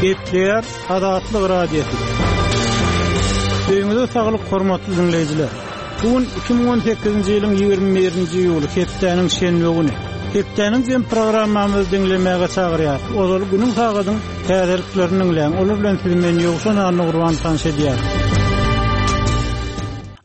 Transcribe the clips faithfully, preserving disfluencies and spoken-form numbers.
Gepleýär Azatlyk Radiosy. Öýüňize saglyk hormatly diňleýjiler. Bu gün iki müň on sekizinji ýylyň ýigrimi birinji iýuly, hepdäniň şenbe güni. Hepdäniň jem programmamyzy diňlemäge çagyrýar. Ozal günüň sagadyň täzeliklerini diňläň. Olar bilen sizi men Ýowşan Annagurban tanyş edýär.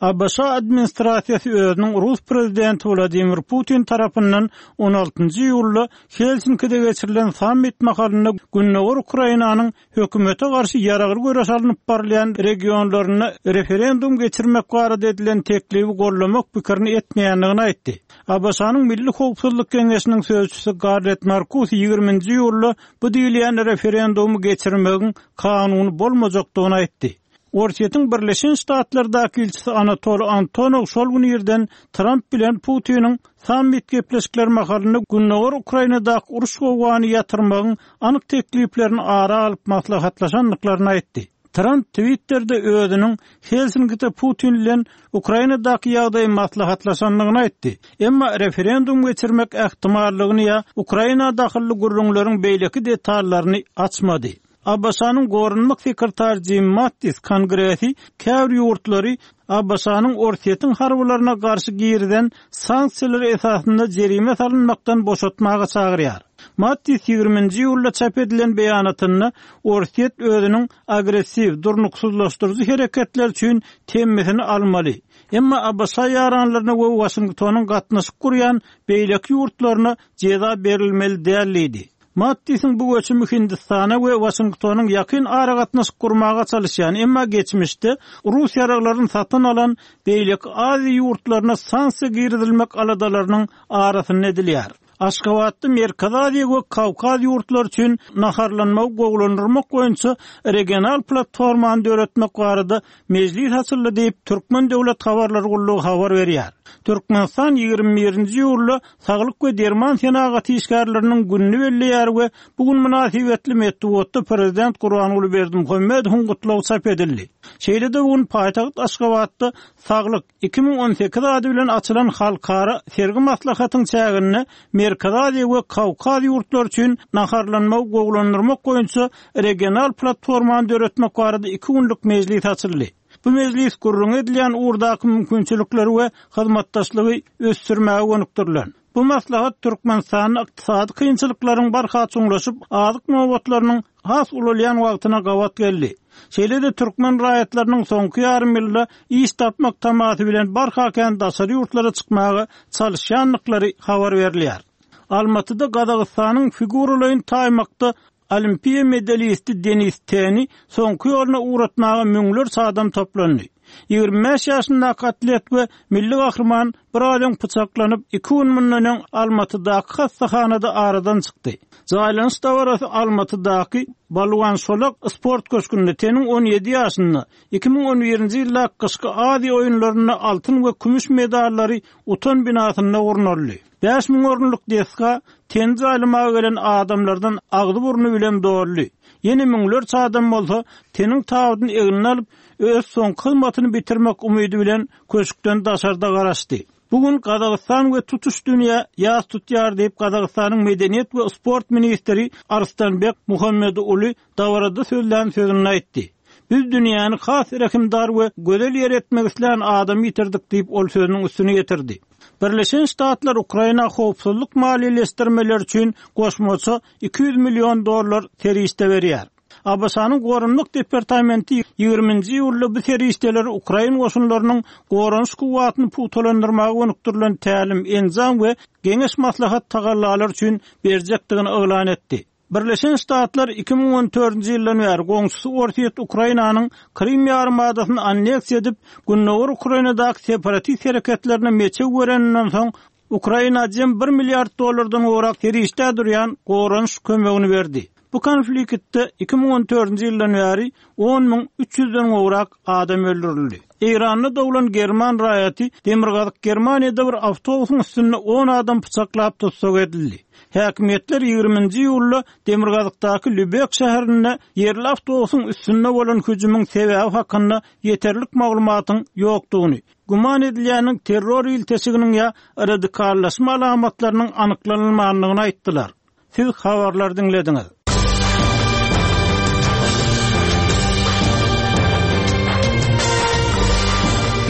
A B Ş administrasiýasy özüniň Rus prezidenti Wladimir Putin tarapyndan on altynjy iýulda Helsinkide geçirilen sammit mahalynda Gündogar Ukrainanyň hökümete garşy ýaragly göreş alnyp barylýan regionlarynda referendum geçirmek barada edilen teklibi gollamak pikirini etmeýändigini aýtdy. A B Ş-nyň Milli Howpsuzlyk Geňeşiniň sözçüsi Garret Markus ýigriminji iýulda bu diýilýän referendumy geçirmegiň kanuny bolmajakdygyny aýtdy. Orsýetiň Birleşen Ştatlardaky ilçisi Anatoli Antonov şol gün irden Trump bilen Putiniň sammit gepleşikleri mahalynda Gündogar Ukrainadaky uruş gowgany ýatyrmagyň anyk tekliplerini ara alyp maslahatlaşandyklaryny aýtdy. Trump Twitter'de özüniň Helsinkide Putin bilen Ukrainadaky ýagdaýy maslahatlaşandygyny aýtdy. Emma referendum geçirmek ähtimallygyny ýa Ukraina dahylly gürrüňleriň beýleki detallaryny açmady. A B Ş-nyň Goranmak sekretary Jim Mattis Kongresi käbir ýurtlary A B Ş-nyň Orsýetiň harbylaryna garşy girizen sanksiýalar esasynda jerime salynmakdan boşatmaga çagyrýar. Mattis ýigriminji iýulda çap edilen beýanatynda Orsýet özüniň agressiw, durnuksyzlaşdyryjy hereketler üçin temmisini almaly. Emma A B Ş ýaranlaryna we Washingtonyň gatnaşyk gurýan beýleki ýurtlaryna jeza berilmeli däl diýdi. Mattisiň bu göçümi Hindistana we Washingtonyň ýakyn aragatnaşyk gurmaga çalışýan, emma geçmişde Rus ýaraglaryny satyn alan beýleki Aziýa ýurtlaryna sanksiýa girizilmek aladalarynyň arasynda edilýär. Aşgabatda Merkezi Aziýa we Kawkaz ýurtlary üçin naharlanmagy gowulandyrmak boýunça regional platformany döretmek barada mejlis açyldy diýip Türkmen Döwlet Habarlar Gullugy habar berýär. Türkmenistan ýigrimi birinji iýulda Saglyk we derman senagaty işgärleriniň gününi belleýär we bu gün mynasybetli metbugatda Prezident Gurbanguly Berdimuhamedowyň gutlagy çap edildi. Şeýle-de bu gün paýtagt Aşgabatda Saglyk iki müň on sekiz ady bilen açylan halkara sergi maslahatyň çäginde Merkezi Aziýa we Kawkaz ýurtlary üçin naharlanmagy gowulandyrmak boýunça regional platformany döretmek barada iki günlük mejlis açyldy. Bu mejlis gürrüň edilýän ugurdaky mümkinçilikleri we hyzmatdaşlygy ösdürmäge gönükdirilen. Bu maslahat Türkmenistanyň ykdysady kynçylyklaryň barha çuňlaşyp, azyk nobatlarynyň has ulalýan wagtyna gabat geldi. Şeýle-de türkmen raýatlarynyň soňky ýarym ýylda iş tapmak tamasy bilen barha kän daşary ýurtlara çykmaga çalışýandyklary habar berilýär. Almatyda Gazagystanyň figuralaýyn taýmakda Olimpiýa medalisti Denis Teni soňky ýoluna ugratmaga müňlerçe adam toplandy. Ýigrimi bäş ýaşyndaky atlet we milli gahryman bir aýdan pyçaklanyp, iki gün mundan öň Almatydaky hassahanada aradan çykdy. Jaýlanyş dabarasy Almatydaky Balwan Şolak sport köşgünde Teniň on ýedi ýaşynda iki müň on birinji ýylda Gyşky Aziýa oýunlarynda altyn we kümüş medallary utan binasynda gurnaldy. Bäş müň orunlyk desga Teni jaýlamaga gelen adamlardan agzy burny bilen doldy. Ýene müňlerçe adam bolsa Teniň tabydyny egnine alyp, öz soňky hyzmatyny bitirmek umydy bilen köşkden daşarda garaşdy. Bugün Gazagystan we tutuş dünýä ýas tutýar diýip Gazagystanyň Medeniýet we sport ministri Arstanbek Muhammeduly dabarada sözlän sözüni aýtdy. Biz dünýäni has rehimdar we gözel ýer etmek islän adamy ýitirdik diýip ol sözüniň üstüne getirdi. Birleşen Ştatlar Ukraina howpsuzlyk maliýeleşdirmeleri üçin goşmaça iki ýüz million dollar serişde berýär. A B Ş-nyň Goranmak departamenti ýigriminji iýulda bu serişdeleri Ukrain goşunlarynyň goranyş kuwwatyny pugtalandyrmaga gönükdirilen tälim, enjam we geňeş maslahat tagallalar üçin berjekdigini yglan etdi. Birleşen Ştatlar iki müň on dördünji ýyldan bäri goňşusy Orsýet Ukrainanyň Krim ýarymadasyny anneksiýa edip, Gündogar Ukrainadaky separatist hereketlerine meçew bereninden soň Ukraina jem bir milliard dollardan gowrak serişde durýan goranyş kömegini berdi. Bu konfliktde iki müň on dördünji ýyldan bäri on müň üç ýüzden gowrak adam öldürildi. Eýranda doglan German raýaty Demirgazyk Germaniýada bir awtobusyň üstünde on adam pyçaklap tussag edildi. Häkimiýetler ýigriminji iýulda Demirgazykdaky Lübek şäherinde ýerli awtobusyň üstünde bolan hüjümiň sebäbi hakynda ýeterlik maglumatyň ýokdugyny, güman edilýäniň terror ilteşiginiň ýa radikallaşma alamatlarynyň anyklanylmandygyny aýtdylar. Siz habarlar diňlediňiz.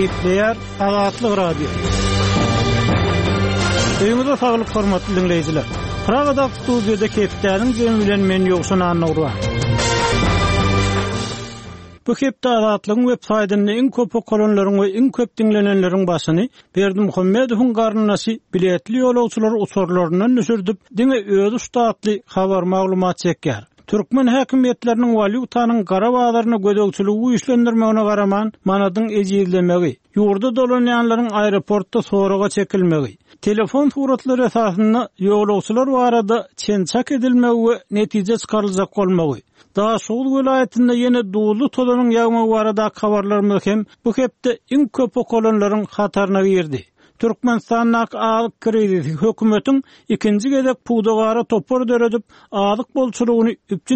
Gepleýär Azatlyk Radiosy. Öýüňize saglyk hormatly diňleýjiler. Pragadaky studiýada hepdäniň jemi bilen men Ýowşan Annagurban. Bu hepde Azatlygyň web saýtynda iň köp okalanlaryň we iň köp diňlenenleriň başyny Berdimuhamedowyň garyndaşy biletli ýolagçylary uçarlaryndan düşürdip, diňe özi uçdy atly habar-maglumat çekýär. Türkmen häkimiýetleriniň walýutanyň gara bazaryna gözegçiligi güýçlendirmegine garaman, manadyň ejizlemegi, ýurda dolanýanlaryň aeroportda soraga çekilmegi, telefon suratlary esasynda ýolagçylar barada çen-çak edilmegi we netije çykaryljak bolmagy, Daşoguz welaýatynda ýene duzly tozanyň ýagmagy baradaky habarlarymyz hem bu hepde iň köp okalanlaryň hataryna girdi. Türkmenistandaky azyk krizisi hökümetiň ikinji gezek pudagara topar döredip, azyk bolçulygyny üpjün